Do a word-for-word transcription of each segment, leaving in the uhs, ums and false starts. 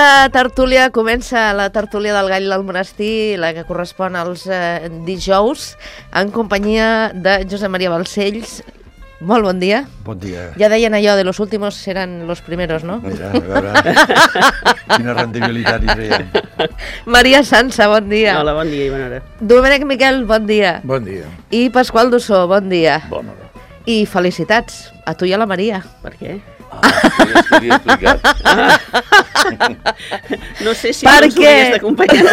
Aquesta tertúlia comença la tertúlia del Gall del Monestir, la que correspon als eh, dijous, en companyia de Josep Maria Balcells. Molt bon dia. Bon dia. Ja deien allò de los últimos serán los primeros, no? Mira, a veure, quina rendibilitat hi traiem. Maria Sansa, bon dia. Hola, bon dia i bona hora. Domènec Miquel, bon dia. Bon dia. I Pasqual Dussó, bon dia. Bona hora. I felicitats a tu i a la Maria. Per què? Ah, sí, és que li he explicat. No sé si Per us què? hauries d'acompanyar.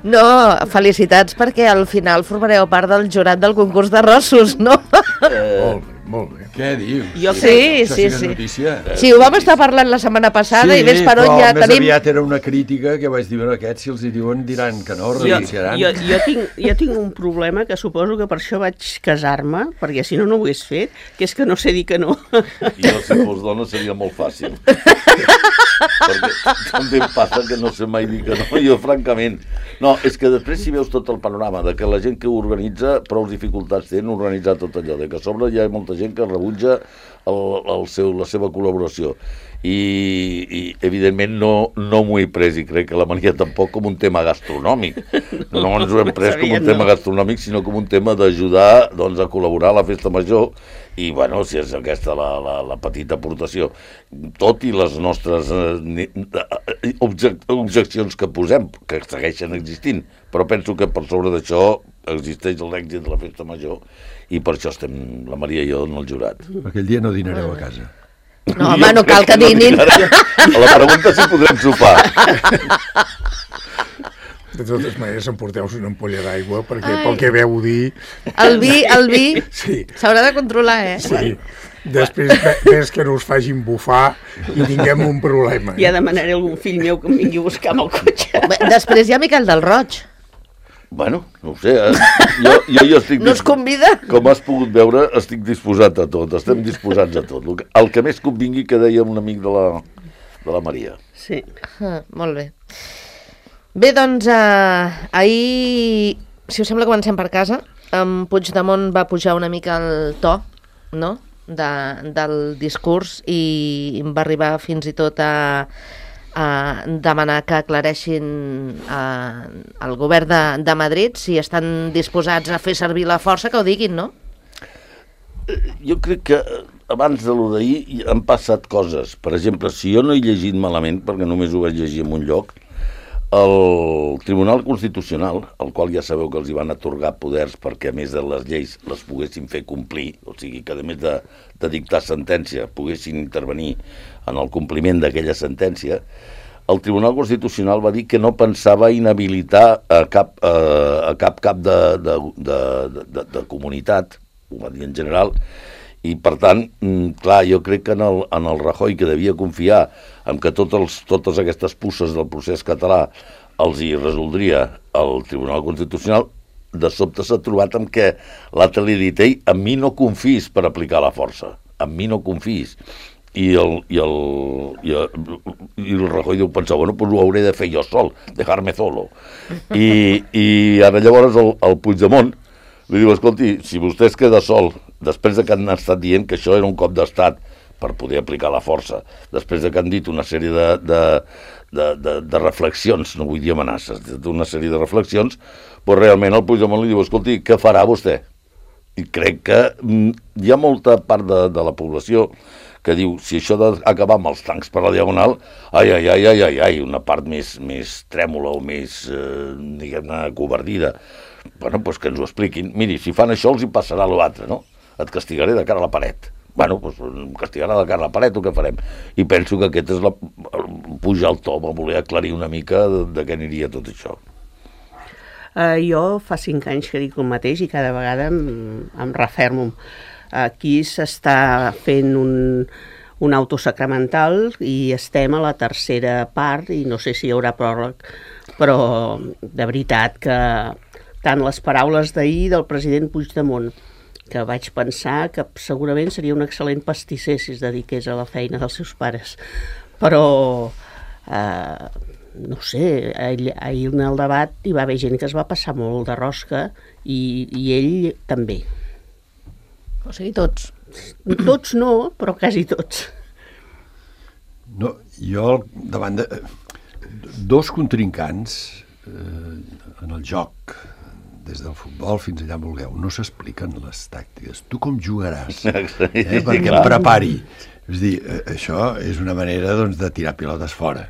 No, felicitats perquè al final formareu part del jurat del concurs de rossos, no? Eh, Molt bé, molt bé. Què dius? Jo Sí, Això sí, que és sí. notícia. Sí, ho vam estar parlant la setmana passada i ves per on ja però més tenim... aviat era una crítica que vaig dir, bueno, aquests si els hi diuen diran que no, Jo, renunciaran. jo, jo, tinc, jo tinc un problema que suposo que per això vaig casar-me, perquè si no, no ho hagués fet, que és que no sé dir que no. jo, si fos dona, seria molt fàcil. Perquè també em passa que no sé mai dir que no. Jo, francament... No, és que després si veus tot el panorama de que la gent que ho organitza prou dificultats té en organitzar tot allò, de que a sobre hi ha molta gent que rebutja el, el seu, la seva col·laboració. I, i evidentment no, no m'ho he pres i crec que la Maria tampoc com un tema gastronòmic. No ens ho hem pres com un tema gastronòmic, sinó com un tema d'ajudar doncs, a col·laborar a la festa major i, bueno, si és aquesta la, la, la petita aportació, tot i les nostres eh, objec objeccions que posem, que segueixen existint, però penso que per sobre d'això existeix l'èxit de la festa major i per això estem la Maria i jo en el jurat. Aquell dia no dinareu a casa. No, home, no cal que dinin. A la pregunta si podrem sopar. De totes maneres, emporteu una ampolla d'aigua, perquè Ai. pel que veu dir... El vi, el vi, Sí. s'haurà de controlar, eh? Sí. Després ves que no us facin bufar i tinguem un problema. Ja demanaré a algun fill meu que em vingui a buscar amb el cotxe. Bé, després hi ha Miquel del Roig. Bueno, no ho sé, eh? jo, jo, jo estic... No es convida? Com has pogut veure, estic disposat a tot, estem disposats a tot. El que, el que més convingui que deia un amic de la, de la Maria. Sí. Ah, molt bé. Bé, doncs, eh, ahir, si us sembla, comencem per casa. En Puigdemont va pujar una mica el to, no?, de, del discurs i va arribar fins i tot a, a demanar que aclareixin eh, el govern de, de Madrid si estan disposats a fer servir la força, que ho diguin, no? Jo crec que abans de lo d'ahir han passat coses. Per exemple, si jo no he llegit malament, perquè només ho vaig llegir en un lloc, el Tribunal Constitucional, al qual ja sabeu que els hi van atorgar poders perquè a més de les lleis les poguessin fer complir, o sigui que a més de, de dictar sentència poguessin intervenir en el compliment d'aquella sentència, el Tribunal Constitucional va dir que no pensava inhabilitar a cap, a, a cap cap de, de, de, de, de comunitat, ho va dir en general, i per tant, clar, jo crec que en el, en el Rajoy, que devia confiar en que tots els, totes aquestes pusses del procés català els hi resoldria el Tribunal Constitucional, de sobte s'ha trobat amb que l'altre li ha dit, ei, en mi no confis per aplicar la força, en mi no confis. I el, i el, i el, i el Rajoy deu pensar, bueno, pues ho hauré de fer jo sol, dejar-me solo. I, i ara llavors el, el Puigdemont li diu, escolti, si vostè es queda sol, després de que han estat dient que això era un cop d'estat per poder aplicar la força, després de que han dit una sèrie de, de, de, de, de reflexions, no vull dir amenaces, d'una sèrie de reflexions, doncs realment el Puigdemont li diu, escolti, què farà vostè? I crec que mm, hi ha molta part de, de la població que diu, si això d'acabar amb els tancs per la diagonal, ai, ai, ai, ai, ai, ai, una part més, més trèmola o més, eh, diguem-ne, covardida. Bueno, doncs que ens ho expliquin. Miri, si fan això els hi passarà l'altre, no? Et castigaré de cara a la paret. Bueno, doncs em castigarà de cara a la paret, o què farem? I penso que aquest és la... pujar el to, va voler aclarir una mica de, de què aniria tot això. Uh, jo fa cinc anys que dic el mateix i cada vegada em, em refermo. Aquí s'està fent un, un autosacramental i estem a la tercera part i no sé si hi haurà pròleg, però de veritat que tant les paraules d'ahir del president Puigdemont, que vaig pensar que segurament seria un excel·lent pastisser si es dediqués a la feina dels seus pares, però eh, no sé, ahir, ahir en el debat hi va haver gent que es va passar molt de rosca i, i ell també. O sigui, tots. Tots no, però quasi tots. No, jo, davant de... Dos contrincants eh, en el joc, des del futbol fins allà on vulgueu, no s'expliquen les tàctiques. Tu com jugaràs? Eh, perquè em prepari. És dir, això és una manera doncs, de tirar pilotes fora.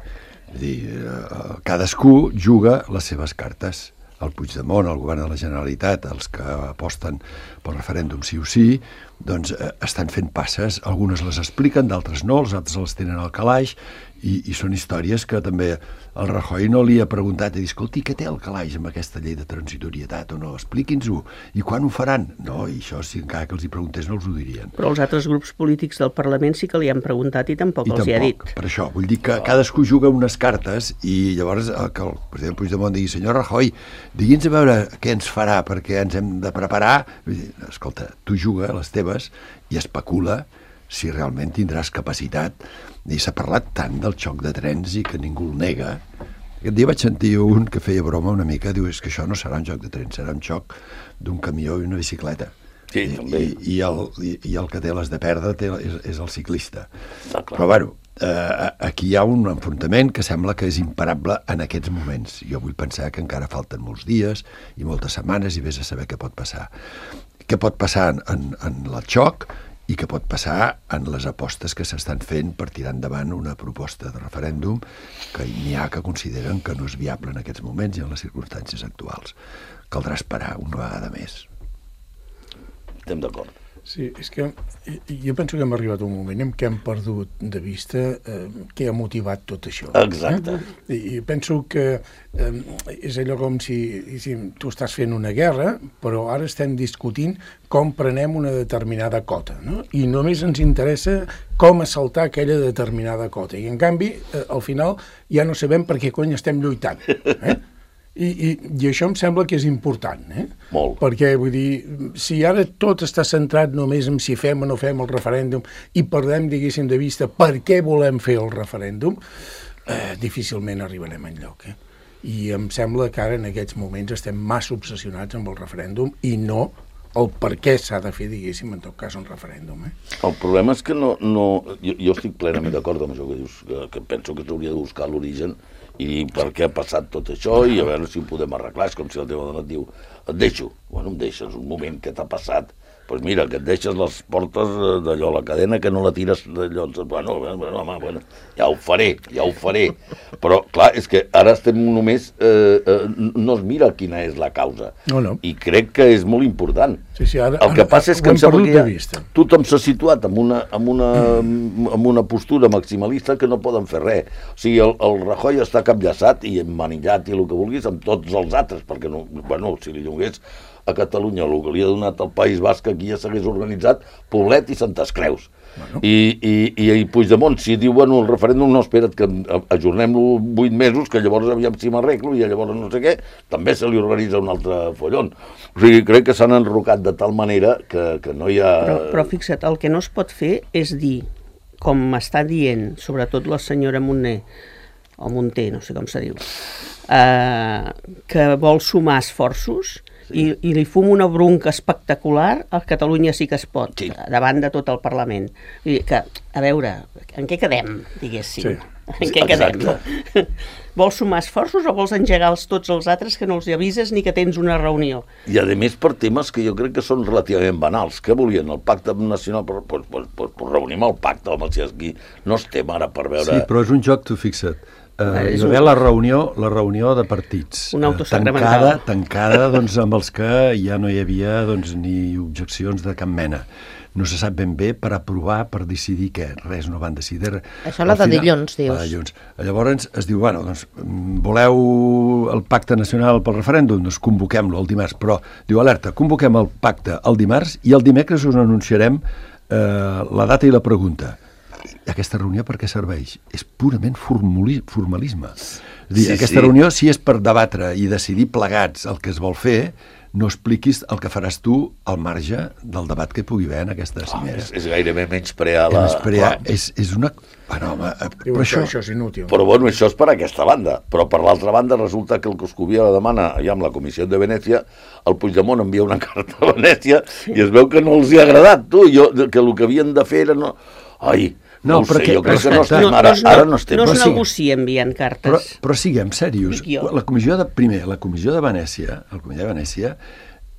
És dir, eh, cadascú juga les seves cartes. El Puigdemont, el govern de la Generalitat, els que aposten pel referèndum sí o sí, doncs eh, estan fent passes, algunes les expliquen, d'altres no, els altres les tenen al calaix, i, i són històries que també el Rajoy no li ha preguntat i dit, escolti, què té el calaix amb aquesta llei de transitorietat o no? Expliqui'ns-ho. I quan ho faran? No, i això, si encara que els hi preguntés, no els ho dirien. Però els altres grups polítics del Parlament sí que li han preguntat i tampoc I els tampoc, hi ha dit. Per això, vull dir que cadascú juga unes cartes i llavors eh, que el president Puigdemont digui, senyor Rajoy, digui'ns a veure què ens farà perquè ens hem de preparar. Vull dir, escolta, tu juga les teves i especula si realment tindràs capacitat. I s'ha parlat tant del xoc de trens i que ningú el nega. Aquest dia vaig sentir un que feia broma una mica, diu, és que això no serà un xoc de trens, serà un xoc d'un camió i una bicicleta. Sí, I, també. I, i, el, i, I el que té les de perdre té, és, és el ciclista. Ah, clar. Però, bueno, eh, aquí hi ha un enfrontament que sembla que és imparable en aquests moments. Jo vull pensar que encara falten molts dies i moltes setmanes i vés a saber què pot passar. Què pot passar en, en, en el xoc i què pot passar en les apostes que s'estan fent per tirar endavant una proposta de referèndum que n'hi ha que consideren que no és viable en aquests moments i en les circumstàncies actuals. Caldrà esperar una vegada més. Estem d'acord. Sí, és que jo penso que hem arribat a un moment en què hem perdut de vista eh, què ha motivat tot això. Exacte. Eh? I penso que eh, és allò com si, si tu estàs fent una guerra, però ara estem discutint com prenem una determinada cota, no? I només ens interessa com assaltar aquella determinada cota. I, en canvi, eh, al final ja no sabem per què cony estem lluitant. Eh? I, i, I això em sembla que és important, eh? Molt. Perquè, vull dir, si ara tot està centrat només en si fem o no fem el referèndum i perdem, diguéssim, de vista per què volem fer el referèndum, eh, difícilment arribarem enlloc, eh? I em sembla que ara en aquests moments estem massa obsessionats amb el referèndum i no el per què s'ha de fer, diguéssim, en tot cas, un referèndum, eh? El problema és que no... no jo, jo estic plenament d'acord amb això que dius, que, que penso que s'hauria de buscar l'origen i per què ha passat tot això i a veure si ho podem arreglar. És com si el teu donat diu, et deixo. Bueno, em deixes un moment que t'ha passat. Doncs pues mira, que et deixes les portes d'allò, la cadena, que no la tires d'allò. Bueno, bueno, home, bueno, ja ho faré, ja ho faré. Però, clar, és que ara estem només... Eh, eh, no es mira quina és la causa. No, no. I crec que és molt important. Sí, sí, ara, el que ara, passa és que ho em hem sembla perdut que de ja vista. tothom s'ha situat en una, en, una, en una postura maximalista que no poden fer res. O sigui, el, el Rajoy està capllaçat i emmanillat i el que vulguis amb tots els altres, perquè, no, bueno, si li donés a Catalunya el que li ha donat al País Basc, aquí ja s'hagués organitzat Poblet i Santes Creus. Bueno. I, i, i Puigdemont, si diu, bueno, el referèndum no, espera't, que ajornem-lo vuit mesos, que llavors aviam si m'arreglo, i llavors no sé què, també se li organitza un altre follon. O sigui, crec que s'han enrocat de tal manera que, que no hi ha... Però, però fixa't, el que no es pot fer és dir, com m'està dient, sobretot la senyora Montner, o Monter, no sé com se diu, eh, que vol sumar esforços, sí. i, i li fum una bronca espectacular a Catalunya sí que es pot, sí. davant de tot el Parlament. Vull dir que, a veure, en què quedem, diguéssim? Sí. En què quedem? Vols sumar esforços o vols engegar els, tots els altres que no els avises ni que tens una reunió? I a més per temes que jo crec que són relativament banals. Què volien? El pacte nacional? Pues, pues, pues, pues, pues reunim el pacte, home, si aquí no estem ara per veure... Sí, però és un joc, tu fixa't. Uh, hi va haver la reunió, la reunió de partits, una uh, tancada, tancada doncs, amb els que ja no hi havia doncs, ni objeccions de cap mena. No se sap ben bé per aprovar, per decidir què. Res, no van decidir res. Això la de dilluns, dius. La de dilluns. Llavors es diu, bueno, doncs, voleu el pacte nacional pel referèndum? Doncs convoquem-lo el dimarts. Però, diu, alerta, convoquem el pacte el dimarts i el dimecres us anunciarem eh, la data i la pregunta. Aquesta reunió per què serveix? És purament formalisme. És dir, sí, aquesta sí. reunió, si és per debatre i decidir plegats el que es vol fer, no expliquis el que faràs tu al marge del debat que hi pugui haver en aquesta cimera. Oh, és, és gairebé menysprear la... Menysprear, és, és una... Bueno, home, Diu, però això, això és inútil. Però bueno, això és per aquesta banda. Però per l'altra banda resulta que el Coscubiela demana, ja amb la Comissió de Venècia, el Puigdemont envia una carta a Venècia i es veu que no els hi ha agradat, tu, jo, que el que havien de fer era... No... Ai, No, no ho sé, jo crec que no estem, no, ara, no, ara no estem. No es Però negocia enviant cartes. Però, però siguem serios. Dic jo. La comissió de, primer, la comissió de Venècia, el comitè de Venècia,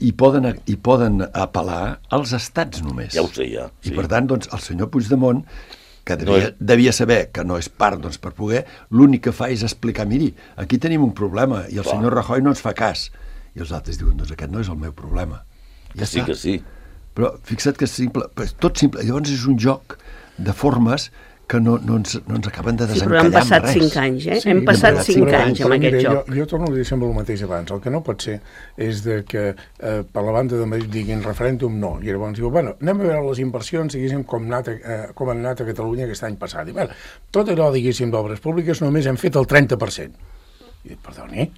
hi poden, hi poden apel·lar als estats només. Ja ho sé, ja. I Sí. per tant, doncs, el senyor Puigdemont, que devia, No és- devia saber que no és part, doncs, per poder, l'únic que fa és explicar, miri, aquí tenim un problema, i el Clar. senyor Rajoy no ens fa cas. I els altres diuen, doncs aquest no és el meu problema. Ja Que sí, està. que sí. Però fixa't que és simple, però és tot simple. Llavors és un joc de formes que no, no, ens, no ens acaben de Sí, però desencallar han passat amb res. cinc anys, eh? Sí, Hem passat però- cinc però- anys però amb mira, aquest jo, joc. jo torno a dir sempre el mateix abans. El que no pot ser és de que eh, per la banda de Madrid diguin referèndum no. I llavors diu, bueno, anem a veure les inversions, diguéssim, com, anat a, eh, com han anat a Catalunya aquest any passat. I, bueno, tot allò, diguéssim, d'obres públiques només hem fet el trenta per cent. I dic, perdoni,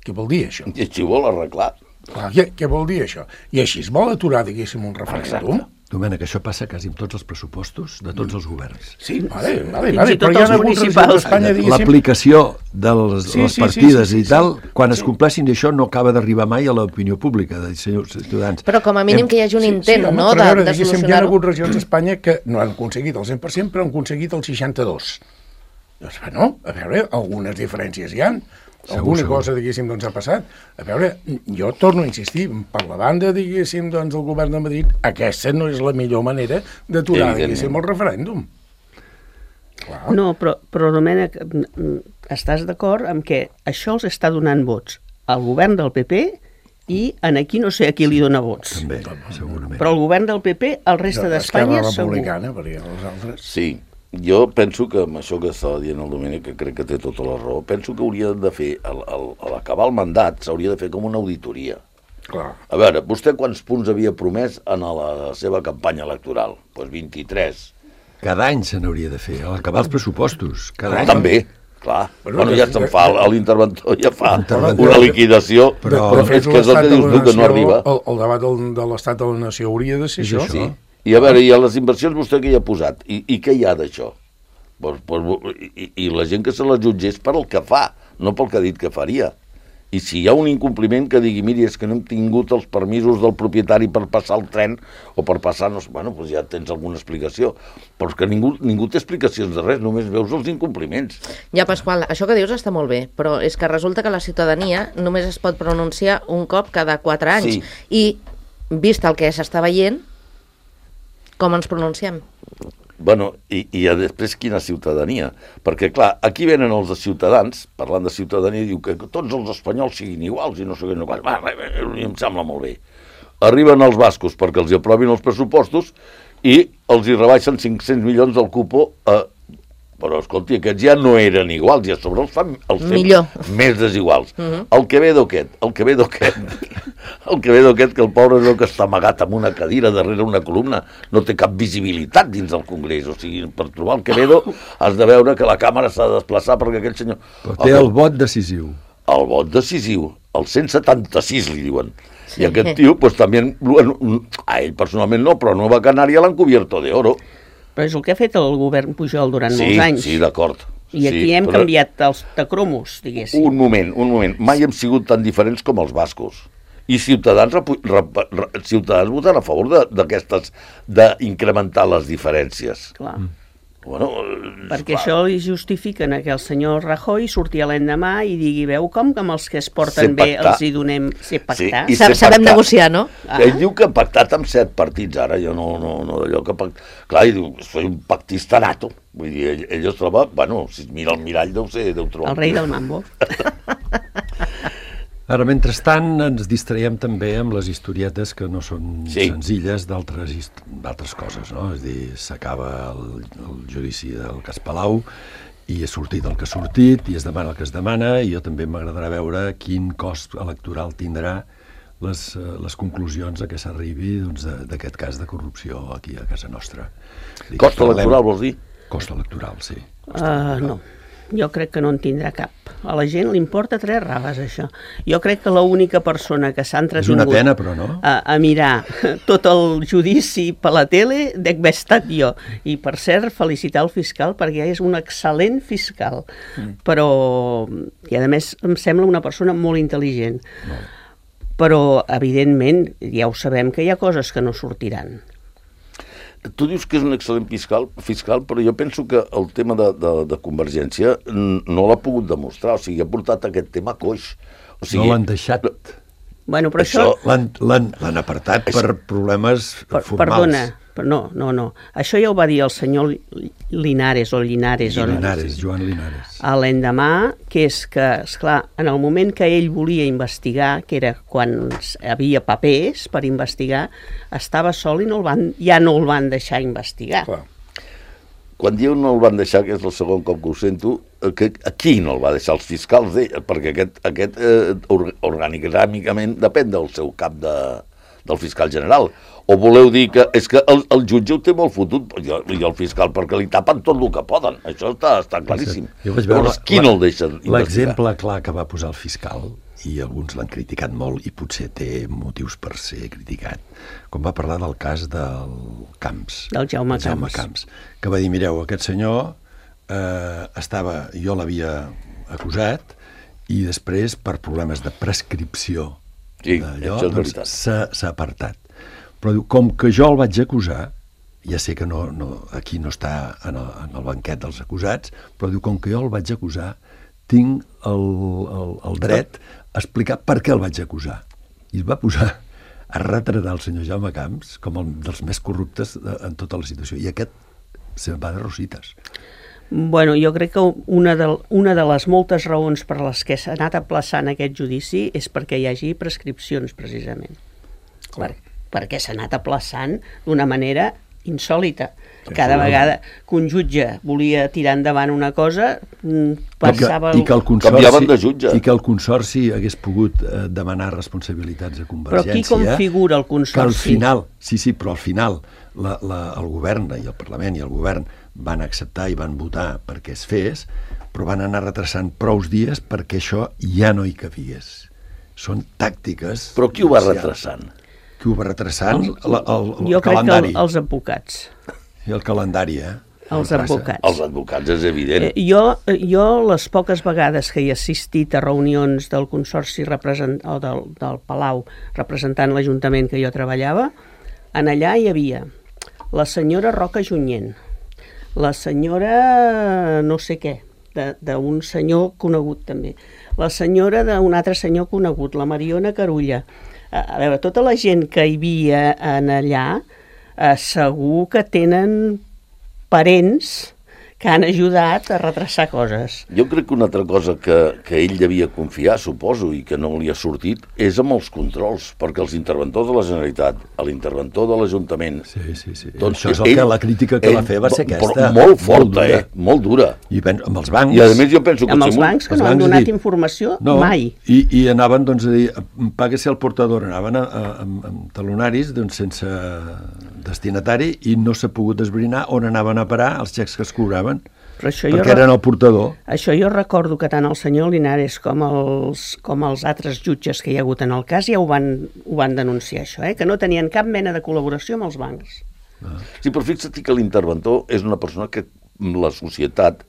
què vol dir això? I així ho vol arreglar. Clar, què, què vol dir això? I així es vol aturar, diguéssim, un referèndum? Exacte. Domènec, això passa quasi amb tots els pressupostos de tots els governs. Sí, vale, vale, Fins vale, i tot però hi ha els hagut municipals. regions d'Espanya, diguéssim... L'aplicació de les, Sí, les sí, sí, partides sí, sí, i tal, sí. quan es Sí. compleixin d'això no acaba d'arribar mai a l'opinió pública de senyors ciutadans. Però com a mínim que hi hagi un intent, home, no?, però de, a veure, de diguéssim, hi ha solucionar-ho. hagut regions d'Espanya que no han aconseguit el cent per cent, però han aconseguit el seixanta-dos. Doncs, bueno, a veure, algunes diferències hi ha. Alguna segur. cosa, diguéssim, doncs ha passat. A veure, jo torno a insistir, per la banda, diguéssim, doncs, del govern de Madrid, aquesta no és la millor manera d'aturar, Evidentment. diguéssim, el referèndum. Clar. No, però, però Domènec, mm, estàs d'acord amb que això els està donant vots al govern del P P i en aquí no sé a qui li dona vots. També, segurament. Però el govern del P P, el resta d'Espanya, Esquerra segur. Republicana, perquè els altres... Sí, jo penso que amb això que estava dient el Domènec, que crec que té tota la raó, penso que hauria de fer, al, al, a l'acabar el mandat, s'hauria de fer com una auditoria. Clar. A veure, vostè quants punts havia promès en la seva campanya electoral? Doncs pues vint-i-tres. Cada any se n'hauria de fer, a l'acabar els pressupostos. Cada any. També, clar. Bueno, Bueno, de- ja se'n de- fa, l'interventor ja fa L'interventor- una liquidació, Però- però és que és el que dius tu, que no arriba. El, el debat del, de l'estat de la nació hauria de ser És això. això. Sí. I a veure, i a les inversions vostè què hi ha posat? I, i què hi ha d'això? Pues, pues, i, I la gent que se la jutgés per el que fa, no pel que ha dit que faria. I si hi ha un incompliment que digui, miri, és que no hem tingut els permisos del propietari per passar el tren o per passar, no sé, bueno, doncs ja tens alguna explicació. Però és que ningú, ningú té explicacions de res, només veus els incompliments. Ja, Pasqual, això que dius està molt bé, però és que resulta que la ciutadania només es pot pronunciar un cop cada quatre anys. Sí. I, vist el que s'està veient, com ens pronunciem? Bueno, i, i a després quina ciutadania? Perquè, clar, aquí venen els de Ciutadans, parlant de ciutadania, i diu que tots els espanyols siguin iguals i no sé què, no què. Va, va, va, em sembla molt bé. Arriben els bascos perquè els hi aprovin els pressupostos i els hi rebaixen cinc-cents milions del cupo a... Però, escolti, aquests ja no eren iguals, i a sobre els fan, els fan Millor. més desiguals. Uh -huh. El Quevedo aquest, el Quevedo aquest, el Quevedo aquest, que el pobre és el que està amagat amb una cadira darrere una columna, no té cap visibilitat dins del Congrés. O sigui, per trobar el Quevedo has de veure que la càmera s'ha de desplaçar perquè aquell senyor... Però té el vot decisiu. El vot decisiu, el cent setanta-sis li diuen. Sí. I aquest tio, pues també, bueno, a ell personalment no, però a Nueva Canària l'han cubierto de oro. Però és el que ha fet el govern Pujol durant Sí, molts anys. sí, d'acord. I aquí sí, hem però- canviat els tacromos, diguéssim. Un moment, un moment. Mai hem sigut tan diferents com els bascos. I Ciutadans, repu- rep- re- Ciutadans voten a favor de- d'aquestes, d'incrementar les diferències. Clar. Bueno, eh, Perquè clar. això li justifiquen a que el senyor Rajoy surti a l'endemà i digui, veu com que amb els que es porten Sé bé pactar. els hi donem ser pactar? i Sa- sé Sabem pactar. negociar, no? Ah. Ell diu que ha pactat amb set partits, ara jo no, no, no d'allò que... Pact... Clar, ell diu, soy un pactista nato. Vull dir, ell, ell es troba, bueno, si es mira el mirall deu ser, deu trobar... El rei del mambo. Ara, mentrestant, ens distraiem també amb les historietes que no són Sí. senzilles d'altres hist- d'altres coses, no? És a dir, s'acaba el, el judici del cas Palau i ha sortit el que ha sortit i es demana el que es demana, i jo també m'agradarà veure quin cost electoral tindrà les, eh, les conclusions a què s'arribi, doncs, de- d'aquest cas de corrupció aquí a casa nostra. És a dir, Cost que parlem- electoral, vols dir? Cost electoral, sí. Uh, no, jo crec que no en tindrà cap. A la gent li importa tres raves, això. Jo crec que l'única persona que s'ha És entretingut una pena, però, no? a, a mirar tot el judici per la tele dec haver estat jo. I, per cert, felicitar el fiscal perquè és un excel·lent fiscal. Mm. Però, i a més, em sembla una persona molt intel·ligent. No. Però, evidentment, ja ho sabem que hi ha coses que no sortiran. Tu dius que és un excel·lent fiscal, fiscal, però jo penso que el tema de, de, de Convergència no l'ha pogut demostrar, o sigui, ha portat aquest tema coix. O sigui, no l'han deixat. Bueno, però això... L'han l'han l'han apartat per problemes per, formals. Perdona, però no, no, no. Això ja ho va dir el senyor Linares o Linares. Linares, o... Joan Linares. A l'endemà, que és que, esclar, en el moment que ell volia investigar, que era quan havia papers per investigar, estava sol i no el van, ja no el van deixar investigar. Clar. Quan diu no el van deixar, que és el segon cop que ho sento, que aquí no el va deixar, els fiscals d'ell, perquè aquest, aquest eh, orgànicament depèn del seu cap de, del fiscal general. O voleu dir que és que el, el jutge ho té molt fotut i el, i el fiscal, perquè li tapen tot el que poden. Això està, està claríssim. Jo vaig veure Llavors, qui la, no el deixa investigar? L'exemple clar que va posar el fiscal, i alguns l'han criticat molt i potser té motius per ser criticat, quan va parlar del cas del Camps, del Jaume, Jaume Camps. Camps, que va dir, mireu, aquest senyor eh, estava, jo l'havia acusat i després per problemes de prescripció sí, d'allò, això és doncs veritat. s'ha apartat. Però diu, com que jo el vaig acusar, ja sé que no, no, aquí no està en el, en el banquet dels acusats, però diu, com que jo el vaig acusar, tinc el, el, el dret a explicar per què el vaig acusar. I es va posar a retratar el senyor Jaume Camps com el dels més corruptes de, en tota la situació. I aquest se'n va de rosites. Bueno, jo crec que una de, una de les moltes raons per les que s'ha anat aplaçant aquest judici és perquè hi hagi prescripcions, precisament. Per, perquè s'ha anat aplaçant d'una manera insòlita. Cada vegada que un jutge volia tirar endavant una cosa, passava... I que, i que el consorci, canviaven de jutge. I que el Consorci hagués pogut eh, demanar responsabilitats a Convergència. Però qui configura el Consorci? Que al final, sí, sí, però al final la, la, el govern i el Parlament i el govern van acceptar i van votar perquè es fes, però van anar retrasant prous dies perquè això ja no hi cabigués. Són tàctiques... Però qui ho va retrasant? Qui ho va retrasant? El, el, el, el jo calendari. crec que el, els advocats. I el calendari, eh? Els advocats. Els advocats, és evident. Eh, jo, jo, les poques vegades que he assistit a reunions del Consorci represent, o del, del Palau representant l'Ajuntament que jo treballava, en allà hi havia la senyora Roca Junyent, la senyora no sé què, d'un senyor conegut també, la senyora d'un altre senyor conegut, la Mariona Carulla. A, a veure, tota la gent que hi havia en allà, eh, segur que tenen parents que han ajudat a retrasar coses. Jo crec que una altra cosa que, que ell devia confiar, suposo, i que no li ha sortit, és amb els controls, perquè els interventors de la Generalitat, l'interventor de l'Ajuntament... Sí, sí, sí. Doncs això és el ell, que la crítica que ell, va fer va ser aquesta. Però molt forta, molt eh? Molt dura. I pen, amb els bancs... I a més jo penso que... Amb els bancs que els no han bancs donat dir, informació no, mai. I, I anaven, doncs, a dir, pague-se el portador, anaven a, a, amb, amb talonaris, doncs, sense destinatari, i no s'ha pogut esbrinar on anaven a parar els xecs que es cobraven. Però això perquè jo, eren el portador. Això jo recordo que tant el senyor Linares com els, com els altres jutges que hi ha hagut en el cas ja ho van, ho van denunciar, això, eh? Que no tenien cap mena de col·laboració amb els bancs. Ah. Sí, però fixa't que l'interventor és una persona que la societat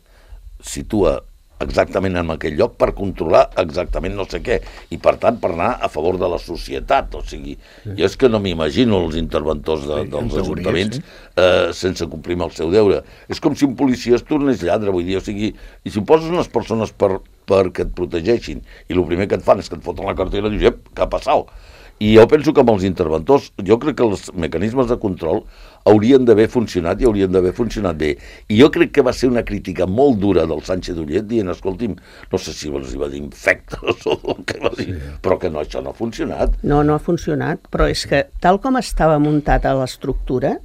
situa exactament en aquell lloc per controlar exactament no sé què, i per tant per anar a favor de la societat. O sigui, sí. Jo és que no m'imagino els interventors de, sí, dels ajuntaments sí. eh, sense complir amb el seu deure. És com si un policia es tornés lladre, vull dir, o sigui, i si poses unes persones per, perquè et protegeixin, i el primer que et fan és que et foten la cartera i dius, ep, què ha passat? I jo penso que amb els interventors, jo crec que els mecanismes de control haurien d'haver funcionat i haurien d'haver funcionat bé. I jo crec que va ser una crítica molt dura del Sánchez Ullet dient, escolti'm, no sé si els va dir infectes o el que va dir, sí. Però que no, això no ha funcionat. No, no ha funcionat, però és que tal com estava muntat a l'estructura,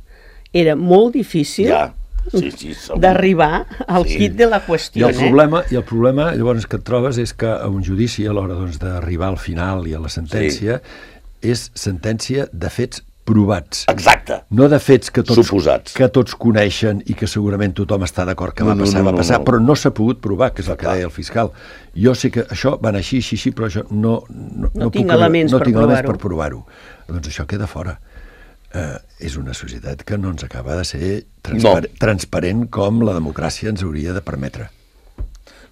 era molt difícil ja. Sí, sí, d'arribar al sí. Quid de la qüestió. I el, problema, eh? I el problema llavors que et trobes és que a un judici, a l'hora doncs, d'arribar al final i a la sentència, sí. És sentència de fets provats. Exacte. No de fets que tots, suposats. Que tots coneixen i que segurament tothom està d'acord que no, va passar, no, no, va passar, no, no. Però no s'ha pogut provar, que és el que deia el fiscal. Jo sé que això va anar així, així, així, però això no, no, no, no tinc puc, elements, no per, tinc provar elements per provar-ho. Doncs això queda fora. Uh, és una societat que no ens acaba de ser transpar no. transparent com la democràcia ens hauria de permetre.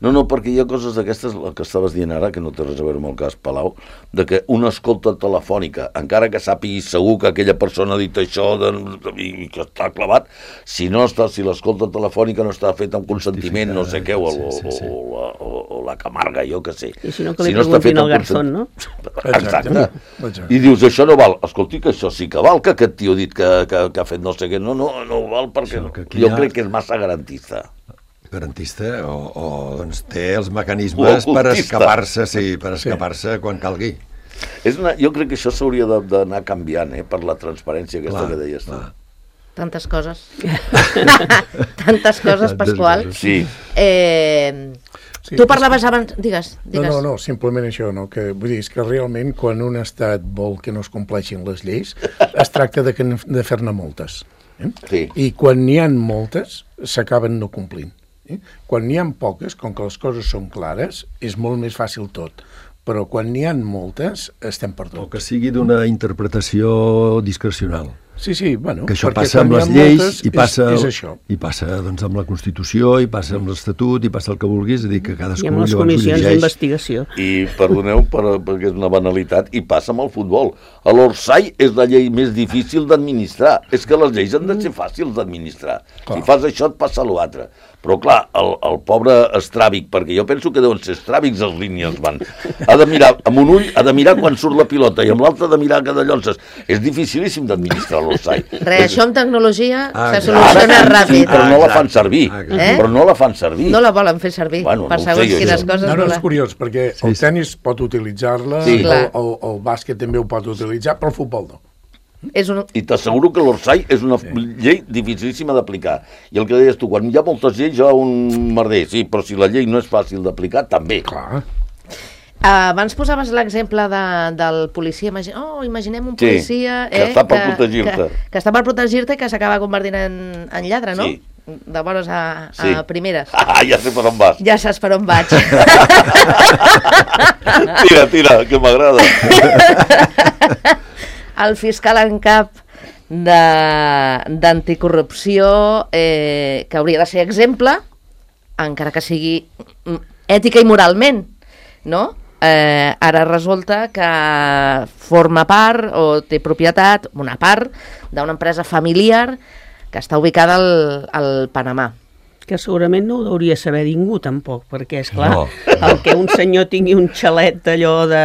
No, no, perquè hi ha coses d'aquestes, el que estaves dient ara, que no té res a veure amb el cas Palau, de que una escolta telefònica, encara que sàpigui segur que aquella persona ha dit això de, i que està clavat, si no està, si l'escolta telefònica no està feta amb consentiment, no sé què, o, o, sí, sí, sí. o, la, o, o la Camarga, jo què sé. I si no, que li si no preguntin al Garzón, no? Exacte. Exacte. I dius, això no val. Escolti, que això sí que val, que aquest tio ha dit que, que, que ha fet no sé què. No, no, no val perquè no. Jo ha... crec que és massa garantista. Garantista o, o doncs, té els mecanismes per escapar-se, sí, per escapar-se sí. quan calgui. És una, jo crec que això s'hauria d'anar canviant, eh, per la transparència aquesta clar, que deies tu. Tantes coses. Tantes coses, Pasqual. Sí. Eh, sí tu parlaves abans... Digues, digues. No, no, no, simplement això, no? Que, vull dir, és que realment quan un estat vol que no es compleixin les lleis, es tracta de, que, de fer-ne moltes. Eh? Sí. I quan n'hi ha moltes, s'acaben no complint. Eh? Quan n'hi ha poques, com que les coses són clares, és molt més fàcil tot. Però quan n'hi ha moltes, estem perduts. O que sigui d'una interpretació discrecional. Sí, sí, bueno... Que això passa amb les lleis moltes, i passa, és, és això. i passa doncs, amb la Constitució, i passa amb l'Estatut, i passa el que vulguis, és a dir, que cadascú I amb les comissions d'investigació. I, perdoneu, per, perquè és una banalitat, i passa amb el futbol. A l'Orsay és la llei més difícil d'administrar. És que les lleis han de ser fàcils d'administrar. Si fas això, et passa l'altre. Però, clar, el, el pobre estràbic, perquè jo penso que deuen ser estràbics els línies, van. Ha de mirar amb un ull, ha de mirar quan surt la pilota, i amb l'altre ha de mirar cada llonces. És dificilíssim d'administrar l'Orsay. Res, això amb tecnologia ah, se soluciona ara, ràpid. Sí, però no la fan servir. Eh? Però no la fan servir. No la volen fer servir, bueno, per no segons sé, quines jo. coses. No, no, no és curiós, perquè sí, el tenis sí. pot utilitzar-la, sí. el, el, el bàsquet també ho pot utilitzar, però el futbol no. És un... I t'asseguro que l'Orsay és una sí. llei dificilíssima d'aplicar. I el que deies tu, quan hi ha moltes lleis hi ha un merder, sí, però si la llei no és fàcil d'aplicar, també. Clar. Uh, abans posaves l'exemple de, del policia. Imagine... Oh, imaginem un policia... Sí, que eh, està per protegir-te. Que, que està per protegir-te i que s'acaba convertint en, en lladre, no? Sí. De bones a, sí. a primeres. Ah, ja sé per on vas. Ja saps per on vaig. Tira, tira, que m'agrada. El fiscal en cap d'anticorrupció, eh, que hauria de ser exemple, encara que sigui ètica i moralment, no? Eh, ara resulta que forma part o té propietat, una part, d'una empresa familiar que està ubicada al, al Panamà. Que segurament no ho hauria saber ningú, tampoc, perquè, és clar, no. el que un senyor tingui un xalet d'allò de...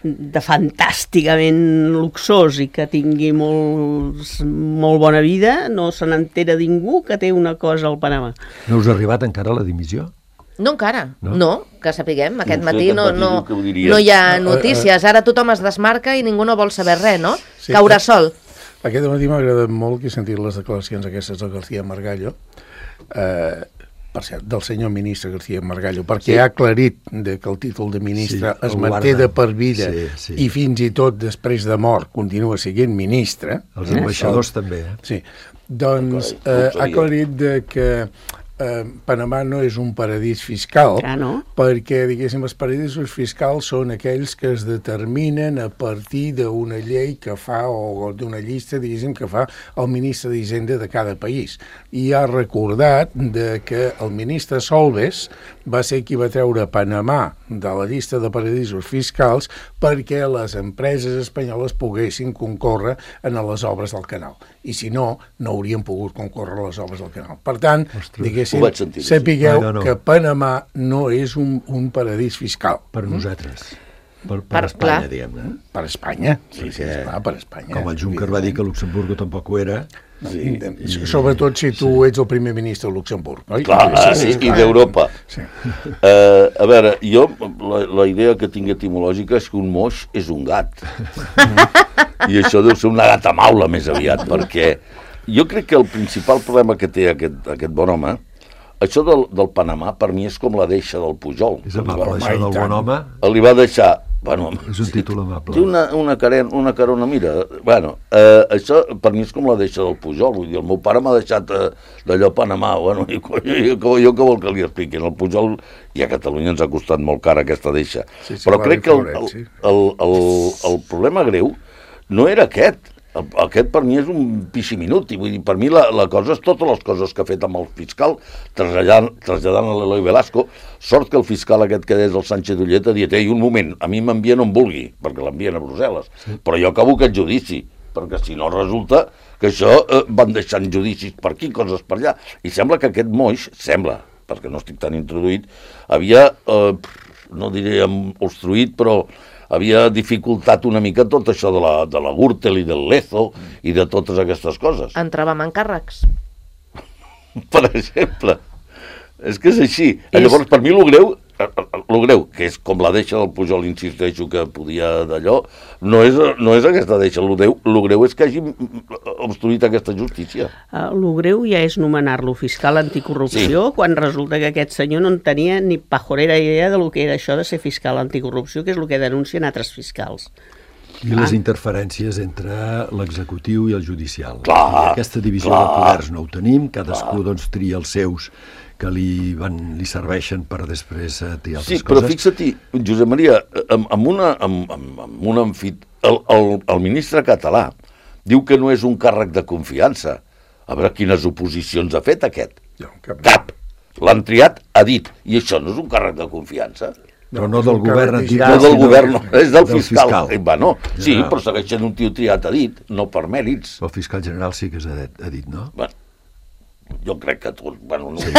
de fantàsticament luxós i que tingui molt, molt bona vida, no se n'entera ningú que té una cosa al Panamà. No us ha arribat encara la dimissió? No encara, no, no que sapiguem. Aquest no sé, matí no, aquest no, matí no hi ha notícies. Ara tothom es desmarca i ningú no vol saber res, no? Sí, caurà sol. Aquest matí m'ha agradat molt que he sentit les declaracions aquestes del García Margallo, eh, per cert, del senyor ministre García Margallo, perquè sí. ha aclarit de que el títol de ministre sí, es manté de per vida sí, sí. i fins i tot després de mort continua sent ministre. Els ambaixadors eh? també. Eh? Sí. Doncs eh, ha aclarit de que eh, Panamà no és un paradís fiscal, ah, no? perquè, diguéssim, els paradisos fiscals són aquells que es determinen a partir d'una llei que fa, o d'una llista, diguéssim, que fa el ministre d'Hisenda de cada país. I ha recordat de que el ministre Solbes va ser qui va treure Panamà de la llista de paradisos fiscals perquè les empreses espanyoles poguessin concórrer en les obres del canal. I si no, no haurien pogut concórrer a les obres del canal. Per tant, Ostres, diguéssim, sapigueu ah, no, no. que Panamà no és un, un paradís fiscal. Per nosaltres. Per, per, per Espanya, clar. diguem-ne. Per Espanya, sí, sí, sí, esclar, per Espanya. Com el Juncker va dir que Luxemburgo tampoc ho era. Sí, i... Sobretot si tu sí. ets el primer ministre de Luxemburg. Oi? Clar, sí, sí, sí, i d'Europa. Sí. Uh, a veure, jo, la, la idea que tinc etimològica és que un moix és un gat. I això deu ser una gata maula més aviat, perquè jo crec que el principal problema que té aquest, aquest bon home, això del, del Panamà, per mi és com la deixa del Pujol. És amable, això del bon home. Li va deixar... Bueno, és un títol amable. Té una, una, caren, una carona, mira, bueno, eh, això per mi és com la deixa del Pujol, vull dir, el meu pare m'ha deixat eh, d'allò a Panamà, bueno, i, jo, jo, jo què vol que li expliquin, el Pujol, i a Catalunya ens ha costat molt cara aquesta deixa, sí, sí, però crec que el, el, el, el, el problema greu no era aquest, Aquest per mi és un piximinut, i vull dir, per mi la, la cosa és totes les coses que ha fet amb el fiscal, traslladant, traslladant a l'Eloi Velasco, sort que el fiscal aquest que és el Sánchez Ullet ha dit, ei, un moment, a mi m'envien on vulgui, perquè l'envien a Brussel·les, sí. Però jo acabo aquest judici, perquè si no resulta que això eh, van deixant judicis per aquí, coses per allà, i sembla que aquest moix, sembla, perquè no estic tan introduït, havia, eh, no diré obstruït, però havia dificultat una mica tot això de la, de la Gürtel i del Lezo i de totes aquestes coses. Entràvem en càrrecs. Per exemple. És que és així. És... Llavors, per mi, lo greu, lo greu, que és com la deixa del Pujol, insisteixo, que podia d'allò, no és, no és aquesta deixa. Lo greu, lo greu és que hagi obstruït aquesta justícia. Uh, lo greu ja és nomenar-lo fiscal anticorrupció, sí. Quan resulta que aquest senyor no en tenia ni pajorera idea de lo que era això de ser fiscal anticorrupció, que és el que denuncien altres fiscals. I les interferències entre l'executiu i el judicial. Clar, aquesta divisió clar, de poders no ho tenim, cadascú clar. doncs tria els seus que li, van, li serveixen per després eh, triar altres sí, coses. Sí, però fixa't-hi, Josep Maria, amb, amb una... Amb, amb, amb una amfit... el, el, el ministre català diu que no és un càrrec de confiança. A veure quines oposicions ha fet aquest. No, cap. Cap. L'han triat, ha dit. I això no és un càrrec de confiança. Però no del govern entitat, no del govern, no, és del, del fiscal. fiscal. Va, no. Sí, però segueix sent un tio triat a dit, no per mèrits. El fiscal general sí que és a dit, no? Bueno, jo crec que tu... Bueno, no, sí,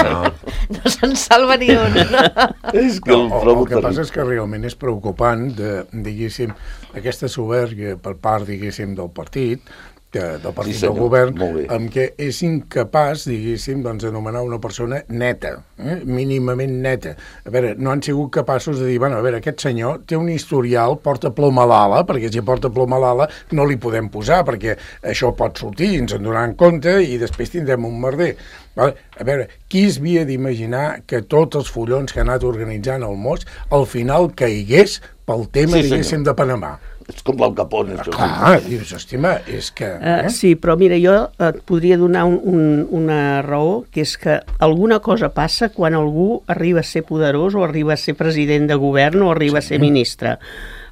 no. no se'n salva ni un. No? És que no, el, el que passa és que realment és preocupant de, diguéssim, aquesta soberbia per part, diguéssim, del partit, que, del partit sí, del govern, amb què és incapaç, diguéssim, doncs, d'anomenar una persona neta, eh? mínimament neta. A veure, no han sigut capaços de dir, bueno, a veure, aquest senyor té un historial, porta ploma a l'ala, perquè si porta ploma a l'ala no li podem posar, perquè això pot sortir, ens en donaran compte, i després tindrem un merder. Vale? A veure, qui es havia d'imaginar que tots els follons que ha anat organitzant el Mos al final caigués pel tema, sí, diguéssim, de Panamà? És com l'Al Capone. Ah, clar, dius, estima, és que... Eh? Uh, sí, però mira, jo et podria donar un, un, una raó, que és que alguna cosa passa quan algú arriba a ser poderós o arriba a ser president de govern o arriba sí. a ser ministre.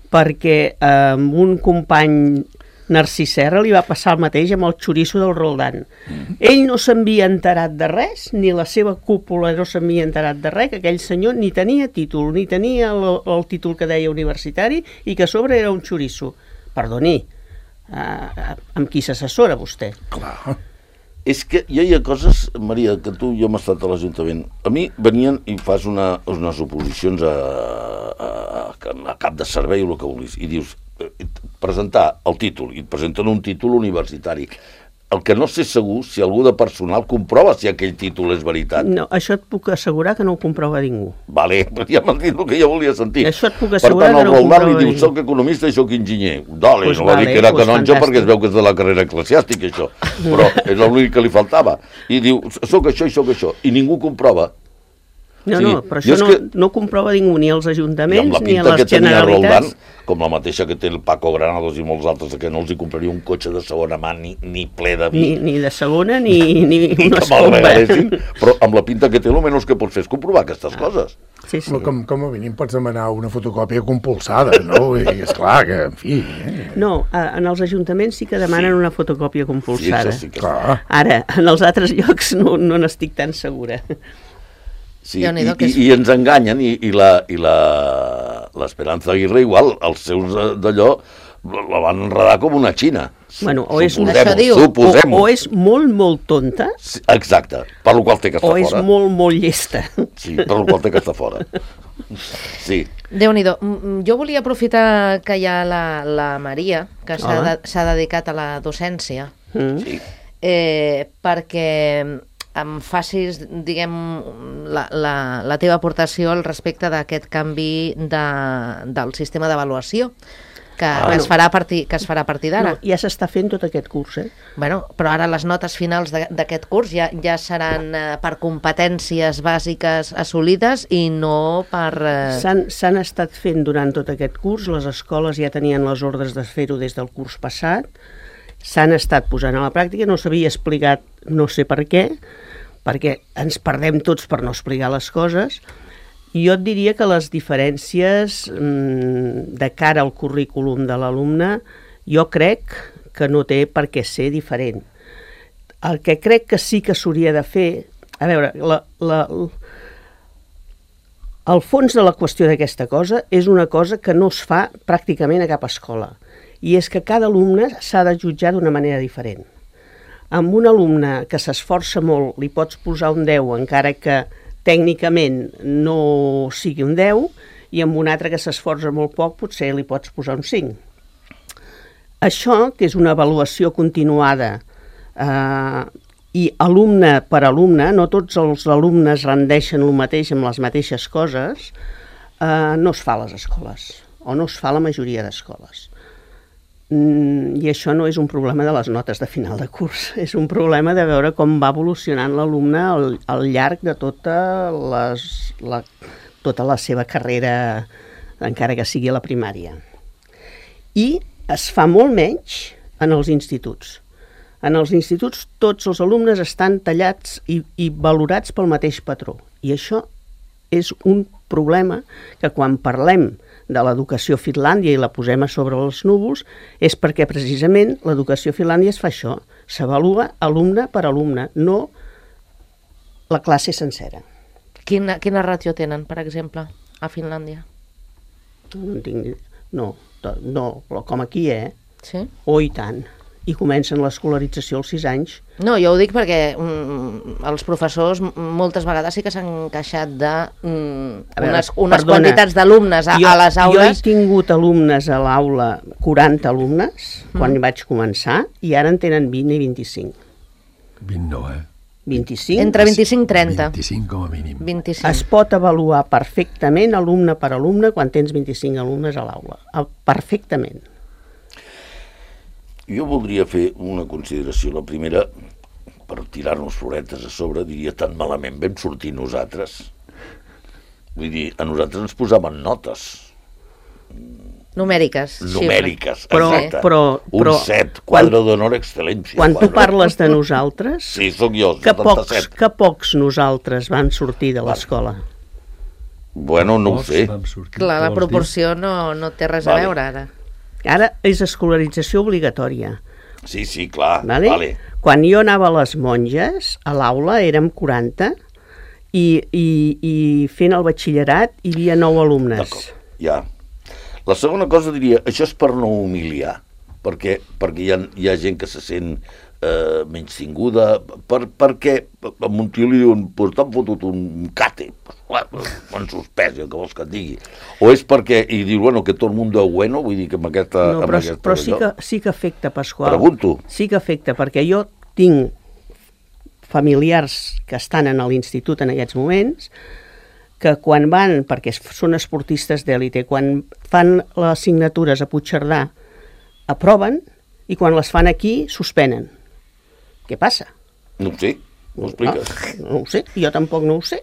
Perquè eh, un company Narcís Serra li va passar el mateix amb el xoriço del Roldán. Mm. Ell no s'havia enterat de res, ni la seva cúpula no s'havia enterat de res, que aquell senyor ni tenia títol, ni tenia el, el títol que deia universitari, i que a sobre era un xoriço. Perdoni, uh, amb qui s'assessora vostè? Clar. És que ja hi ha coses, Maria, que tu jo hem estat a l'Ajuntament. A mi venien i fas una, unes oposicions a, a, a cap de servei o el que vulguis, i dius, presentar el títol, i et presenten un títol universitari. El que no sé segur si algú de personal comprova si aquell títol és veritat. No, això et puc assegurar que no ho comprova ningú. Vale, però ja m'han dit el que jo volia sentir. Això et puc assegurar per tant, que no ho comprova li diu, soc economista i soc enginyer. Dale, pues no va vale, dir que era pues canonge fantàstic. perquè es veu que és de la carrera eclesiàstica, això. Però és l'únic que li faltava. I diu, soc això i soc això. I ningú comprova. No, sí. no, però això no, que... no comprova ningú, ni els ajuntaments, ni a les Generalitats. Roldán, com la mateixa que té el Paco Granados i molts altres, que no els hi compraria un cotxe de segona mà ni, ni ple de vi. Ni, ni de segona, ni, ni una escomba. Però amb la pinta que té, almenys que pots fer és comprovar aquestes ah. coses. Sí, sí. Com, com a mínim pots demanar una fotocòpia compulsada, no? I esclar que, en fi... Eh? No, en els ajuntaments sí que demanen sí. una fotocòpia compulsada. Sí, sí que clar. Ara, en els altres llocs no, no n'estic tan segura. Sí, i, i, i ens enganyen, i, i la i la l'Esperanza Aguirre igual, els seus d'allò la van enredar com una xina. Bueno, o és, diu, o, o és molt, molt tonta. Sí, exacte, per lo qual té que estar fora. O és fora. molt, molt llesta. Sí, per lo qual té que estar fora. Sí. Déu-n'hi-do. Jo volia aprofitar que hi ha la, la Maria, que s'ha de, s'ha dedicat a la docència, Mm. Sí. eh, perquè em facis, diguem, la, la, la teva aportació al respecte d'aquest canvi de, del sistema d'avaluació que, Ah, que, no. es farà a partir, que es farà a partir d'ara. No, ja s'està fent tot aquest curs, eh? Bueno, però ara les notes finals de- d'aquest curs ja, ja seran eh, per competències bàsiques assolides i no per... Eh... S'han s'han estat fent durant tot aquest curs, les escoles ja tenien les ordres de fer-ho des del curs passat, s'han estat posant a la pràctica, no s'havia explicat no sé per què, perquè ens perdem tots per no explicar les coses, i jo et diria que les diferències mmm, de cara al currículum de l'alumne, jo crec que no té per què ser diferent. El que crec que sí que s'hauria de fer... A veure, la, la, el fons de la qüestió d'aquesta cosa és una cosa que no es fa pràcticament a cap escola, i és que cada alumne s'ha de jutjar d'una manera diferent. Amb un alumne que s'esforça molt li pots posar un deu encara que tècnicament no sigui un deu, i amb un altre que s'esforça molt poc potser li pots posar un cinc. Això, que és una avaluació continuada eh, i alumne per alumne, no tots els alumnes rendeixen el mateix amb les mateixes coses, eh, no es fa a les escoles, o no es fa a la majoria d'escoles. Mm, I això no és un problema de les notes de final de curs, és un problema de veure com va evolucionant l'alumne al, al llarg de tota, les, la, tota la seva carrera, encara que sigui a la primària. I es fa molt menys en els instituts. En els instituts tots els alumnes estan tallats i, i valorats pel mateix patró. I això és un problema que quan parlem de l'educació a Finlàndia i la posem a sobre els núvols és perquè precisament l'educació a Finlàndia es fa això. S'avalua alumne per alumne, no la classe sencera. Quina, quina ràtio tenen, per exemple, a Finlàndia? No en tinc... No, no, com aquí, eh? Sí? Oh, i tant. I comencen l'escolarització als sis anys. No, jo ho dic perquè mm, els professors moltes vegades sí que s'han queixat de mm, veure, unes, unes perdona, quantitats d'alumnes a, jo, a les aules. Jo he tingut alumnes a l'aula, quaranta alumnes, quan mm. vaig començar, i ara en tenen vint i vint-i-cinc. vint no, eh? vint-i-cinc? Entre vint-i-cinc i trenta. vint-i-cinc com a mínim. vint-i-cinc. Es pot avaluar perfectament alumne per alumne quan tens vint-i-cinc alumnes a l'aula. Perfectament. Jo voldria fer una consideració. La primera, per tirar-nos floretes a sobre, diria, tan malament vam sortir nosaltres. Vull dir, a nosaltres ens posaven notes. Numèriques. Numèriques, però, exacte. Però, però, un set, quadre d'honor excel·lència. Quan quadre. tu parles de nosaltres, sí, sóc jo, que pocs, setanta-set. que pocs nosaltres van sortir de l'escola. Bueno, no ho sé. Clar, la proporció no, no té res vale. a veure ara. Ara és escolarització obligatòria. Sí, sí, clar. Vale? Vale. Quan jo anava a les monges, a l'aula érem quaranta i, i, i fent el batxillerat hi havia nou alumnes. D'acord, ja. La segona cosa diria, això és per no humiliar, perquè, perquè hi ha, hi ha gent que se sent eh, menys tinguda, per, perquè a un tio li diuen, pues t'han fotut un cate, m'han suspès, el que vols que et digui. O és perquè, i diu, bueno, que tot el món és bueno, vull dir que amb aquesta... No, amb però, aquesta però sí, que, sí que afecta, Pasqual. Pregunto. Sí que afecta, perquè jo tinc familiars que estan en l'institut en aquests moments, que quan van, perquè són esportistes d'èlite, quan fan les assignatures a Puigcerdà, aproven, i quan les fan aquí, suspenen. Què passa? No ho sé, m'ho expliques. No, no ho sé, jo tampoc no ho sé.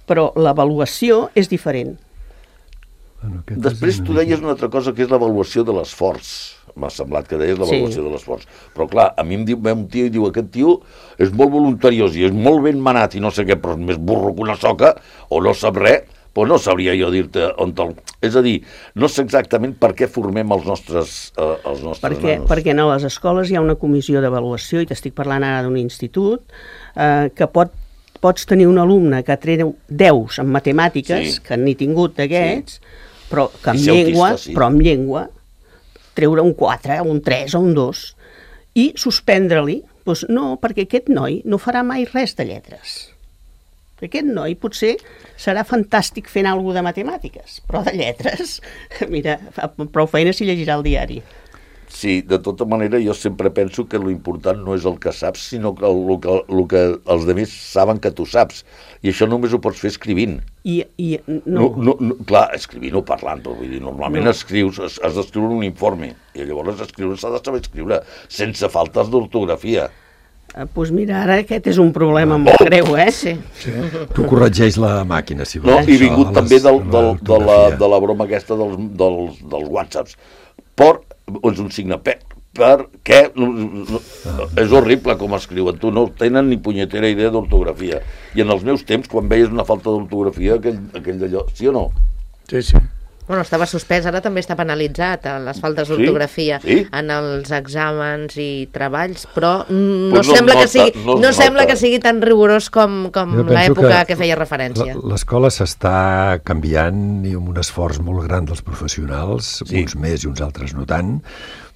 Però l'avaluació és diferent. Bueno, Després tu deies una altra cosa, que és l'avaluació de l'esforç. M'ha semblat que deies l'avaluació sí. de l'esforç. Però clar, a mi em diu un tio i diu, aquest tio és molt voluntariós i és molt ben manat i no sé què, però és més burro que una soca, o no sap res, però no sabria jo dir-te on te'l... És a dir, no sé exactament per què formem els nostres, eh, els nostres perquè, nanos. Perquè a les escoles hi ha una comissió d'avaluació, i t'estic parlant ara d'un institut, eh, que pot, pots tenir un alumne que treu deus en matemàtiques, sí. que n'he tingut d'aquests, sí. però que en llengua, autista, sí. però en llengua, treure un quatre, un tres o un dos, i suspendre-li. Doncs no, perquè aquest noi no farà mai res de lletres. Aquest noi potser serà fantàstic fent alguna de matemàtiques, però de lletres, mira, fa prou feina si llegirà el diari. Sí, de tota manera jo sempre penso que l'important no és el que saps, sinó que el, el, que, el que els altres saben que tu saps. I això només ho pots fer escrivint. I, i no. No, no, no, clar, escrivint o parlant, vull dir, normalment no. escrius, has, has d'escriure un informe, i llavors escriure s'ha de saber escriure, sense faltes d'ortografia. Doncs pues mira, ara aquest és un problema molt oh! greu, eh? Sí. sí. Tu corregeix la màquina, si vols. No, i vingut també del, del, de, la, de la broma aquesta dels, dels, dels whatsapps. Per, és un signe per, per què? Ah. És horrible com escriuen. Tu no tenen ni punyetera idea d'ortografia. I en els meus temps, quan veies una falta d'ortografia, aquell, aquell d'allò, sí o no? Sí, sí. Bueno, estava suspès, ara també està penalitzat a les faltes Sí? d'ortografia Sí? en els exàmens i treballs, però no, Pues no sembla, es que sigui, nota, no no es sembla nota. que sigui tan rigorós com, com Jo penso l'època que, que feia referència. l- L'escola s'està canviant i amb un esforç molt gran dels professionals, Sí. uns més i uns altres no tant,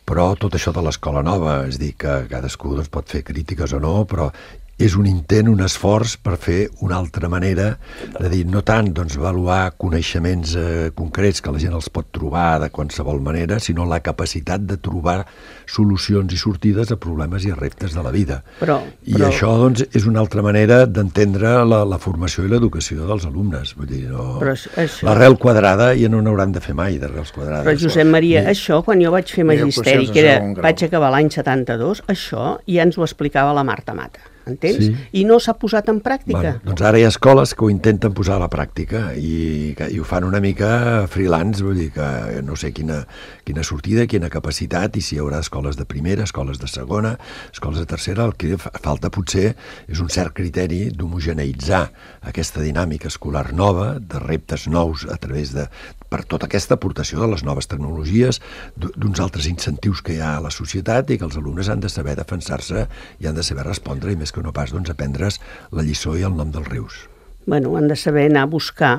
però tot això de l'escola nova, és dir, que cadascú doncs, pot fer crítiques o no, però és un intent, un esforç per fer una altra manera de dir, no tant doncs, avaluar coneixements eh, concrets que la gent els pot trobar de qualsevol manera, sinó la capacitat de trobar solucions i sortides a problemes i a reptes de la vida. Però, I però, això doncs, és una altra manera d'entendre la, la formació i l'educació dels alumnes. Vull dir, no... Però això- això- L'arrel quadrada ja no n'hauran de fer mai, d'arrels quadrades. però Josep Maria, això quan jo vaig fer Mireu, magisteri, procés de que era, segon grau. vaig acabar l'any setanta-dos, això ja ens ho explicava la Marta Mata, entens? Sí. I no s'ha posat en pràctica. Bueno, doncs ara hi ha escoles que ho intenten posar a la pràctica i, que, i ho fan una mica freelance, vull dir que no sé quina, quina sortida, quina capacitat, i si hi haurà escoles de primera, escoles de segona, escoles de tercera, el que fa- falta potser és un cert criteri d'homogeneïtzar aquesta dinàmica escolar nova, de reptes nous a través de, per tota aquesta aportació de les noves tecnologies, d- d'uns altres incentius que hi ha a la societat i que els alumnes han de saber defensar-se i han de saber respondre, i més que no pas doncs, aprendre's la lliçó i el nom dels rius. Bueno, han de saber anar a buscar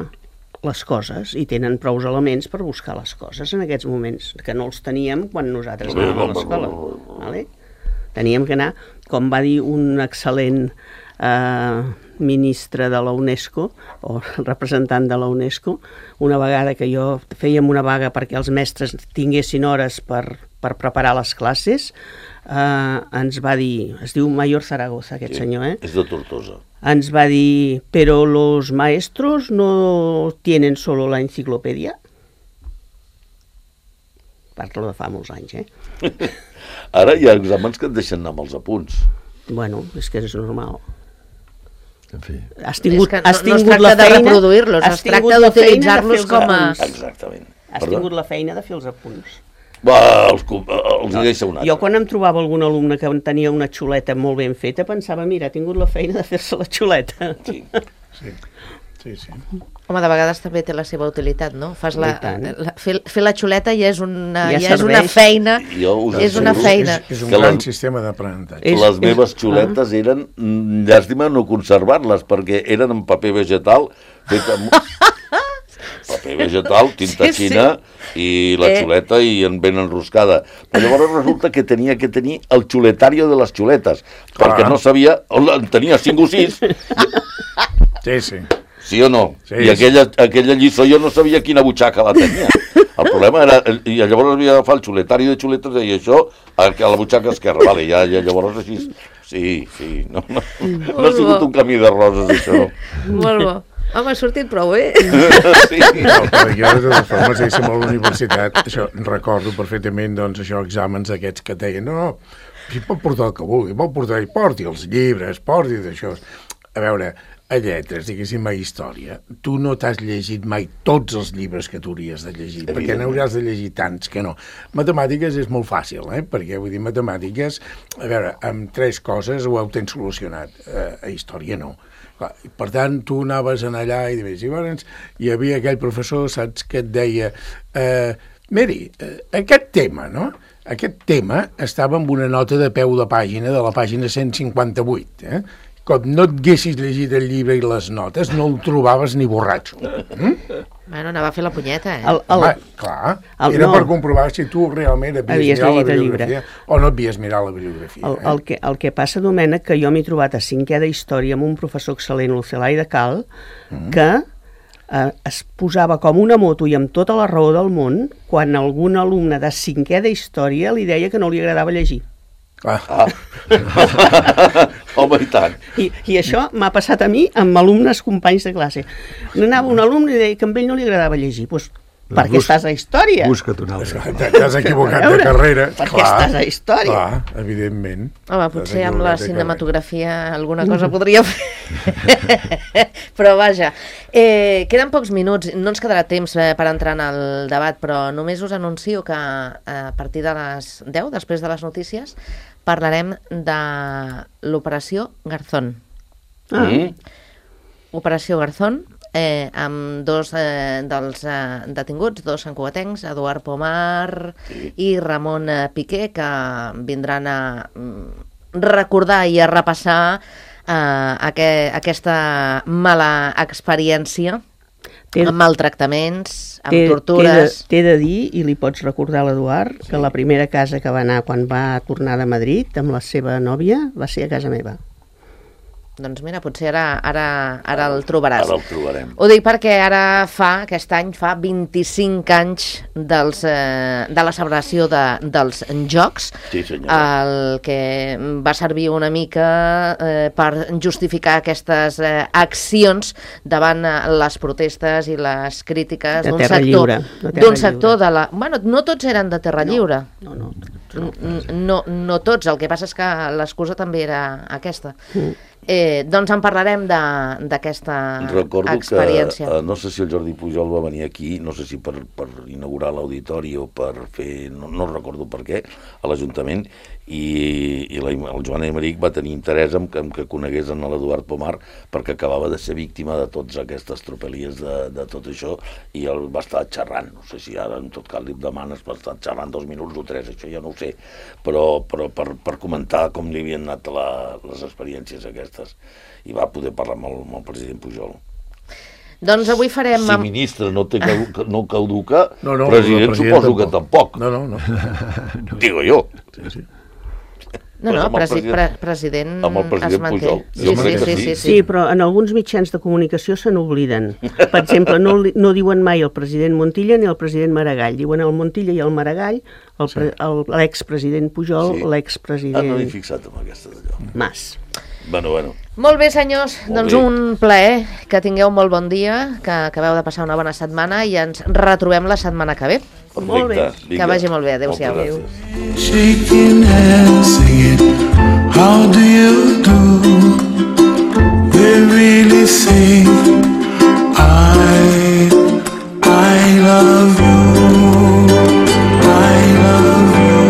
les coses i tenen prous elements per buscar les coses en aquests moments, que no els teníem quan nosaltres anàvem a l'escola. Vale? Teníem que anar, com va dir un excel·lent eh, ministre de la UNESCO o representant de la UNESCO, una vegada que jo fèiem una vaga perquè els mestres tinguessin hores per, per preparar les classes, eh, ens va dir, es diu Mayor Zaragoza aquest senyor, eh? És de Tortosa. Ens va dir, però los maestros no tienen solo la enciclopedia. Parlo de fa molts anys, eh? Ara hi ha exàmens que et deixen anar amb els apunts. Bueno, és que és normal. En fi. Has tingut, És que no- has no es tingut tracta la de feina, reproduir-los, has es tracta tingut la feina de d'utilitzar-los fer els com a- apunts. Exactament. Has Perdó? tingut la feina de fer els apunts. Va, els, cu- els hi deixa un altre. Jo quan em trobava algun alumne que tenia una xuleta molt ben feta, pensava, mira, ha tingut la feina de fer-se la xuleta. Sí. Sí, sí, sí. Home, de vegades també té la seva utilitat, no? Fas la, I tant. la, fer, fer la xuleta ja és una, Ja ja és una serveix. feina, Jo us és una asseguro feina. És, és un Que gran la- sistema d'aprenentatge. És- Les és- meves xuletes eren, mm, llàstima no conservar-les, perquè eren en paper vegetal, fet amb paper vegetal, tinta Sí, sí. xina, i la Eh. xuleta i en ben enroscada. Però llavors resulta que tenia que tenir el xuletario de les xuletes, Clar. perquè no sabia, en tenia cinc o sis, Sí, sí. sí o no? Sí, I aquella, aquella lliçó jo no sabia quina butxaca la tenia. El problema era, i llavors havia d'agafar el xuletario de xuletes i deia això a la butxaca esquerra, vale, ja, ja llavors així, sí, sí, no, no, no ha sigut un camí de roses això. Molt bo. Home, ha sortit prou bé. Sí. No, però jo, de totes formes, deixem a la universitat, això, recordo perfectament, doncs, això, exàmens aquests que et deien, no, si pot portar el que vulgui, pot portar, i porti els llibres, porti d'això. A veure, a lletres, diguéssim, a història, tu no t'has llegit mai tots els llibres que tu hauries de llegir, perquè n'hauràs de llegir tants que no. Matemàtiques és molt fàcil, eh? Perquè, vull dir, matemàtiques, a veure, amb tres coses ho heu tens solucionat, eh, a història no. Clar, per tant, tu anaves en allà i dius, i llavors hi havia aquell professor, saps, que et deia, eh, Mary, eh, aquest tema, no?, aquest tema estava amb una nota de peu de pàgina, de la pàgina cent cinquanta-vuit, eh? Com no et haguessis llegit el llibre i les notes, no el trobaves ni borratxo. Mm? Bueno, anava a fer la punyeta, eh? El, el, Home, clar, el- era no. per comprovar si tu realment havies, Havies mirat la llegit el llibre. bibliografia o no havies mirat la bibliografia. El, eh? el, que, el que passa, Domènec, que jo m'he trobat a cinquè d'història amb un professor excel·lent, l'Ocelai de Cal, Mm. que eh, es posava com una moto i amb tota la raó del món quan algun alumne de cinquè d'història li deia que no li agradava llegir. Ah. Ah. Home, i tant. I, i això m'ha passat a mi amb alumnes companys de classe. Anava un alumne i deia que a ell no li agradava llegir. Doncs perquè Bus- estàs a història. Busca't un altre. T'has equivocat A veure, de carrera. perquè estàs a història. Clar, evidentment. Home, T'has potser amb la equivocat de cinematografia alguna cosa podria fer. Però vaja, eh, queden pocs minuts, no ens quedarà temps eh, per entrar en el debat, però només us anuncio que eh, a partir de les deu, després de les notícies, parlarem de l'operació Garzón. Ah. Mm. Operació Garzón eh, amb dos eh, dels eh, detinguts, dos santcugatencs, Eduard Pomar sí. i Ramon eh, Piqué, que vindran a mm, recordar i a repassar eh, aqu aquesta mala experiència amb maltractaments, amb té, tortures... T'he de, de dir, i li pots recordar a l'Eduard, sí. que la primera casa que va anar quan va tornar de Madrid amb la seva nòvia va ser a casa meva. Doncs mira, potser ara, ara, ara el trobaràs. Ara el trobarem. Ho dic perquè ara fa, aquest any, fa vint-i-cinc anys dels, eh, de la celebració de, dels Jocs, sí, senyora. El que va servir una mica eh, per justificar aquestes eh, accions davant eh, les protestes i les crítiques d'un sector, d'un sector de la... Bueno, no tots eren de Terra Lliure. No, no. No, no, no tots, el que passa és que l'excusa també era aquesta. Mm. Eh, doncs en parlarem d'aquesta experiència. Que, eh, no sé si el Jordi Pujol va venir aquí, no sé si per, per inaugurar l'auditori o per fer, no, no recordo per què, a l'Ajuntament, i, i la, el Joan Emeric va tenir interès en que, en que conegués en l'Eduard Pomar perquè acabava de ser víctima de totes aquestes tropelies de, de tot això, i el va estar xerrant, no sé si ara en tot cas li demanes va estar xerrant dos minuts o tres, això ja no ho sé, però, però per, per comentar com li havien anat la, les experiències aquestes, i va poder parlar amb el, amb el president Pujol. Doncs avui farem... Si ministre no, té caduca, no caduca, no, no, president, president suposo tampoc. que tampoc. No, no, no. Digo jo. Sí, sí. No, no, presi president, president amb el president es manté. Pujol. Sí, sí, sí, sí, sí. Sí, però en alguns mitjans de comunicació se n'obliden. Per exemple, no, no diuen mai el president Montilla ni el president Maragall. Diuen el Montilla i el Maragall, l'expresident Pujol, sí. l'expresident... Ah, no m'he fixat en aquesta d'allò. Mas. Bueno, bueno. Molt bé, senyors. Molt doncs bé. Un plaer, que tingueu molt bon dia, que acabeu de passar una bona setmana i ens retrobem la setmana que ve. Perfecte. Molt bé. Vinga. Que vagi molt bé. Adéu-siau. Adéu. Shaking hands, singing, how do you do? We really say, I, I love you, I love you.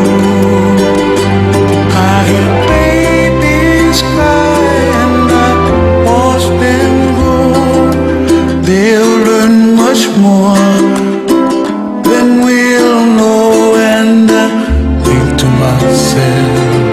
I hear babies cry and I watch them grow. They'll learn much more than we'll know, and I think to myself,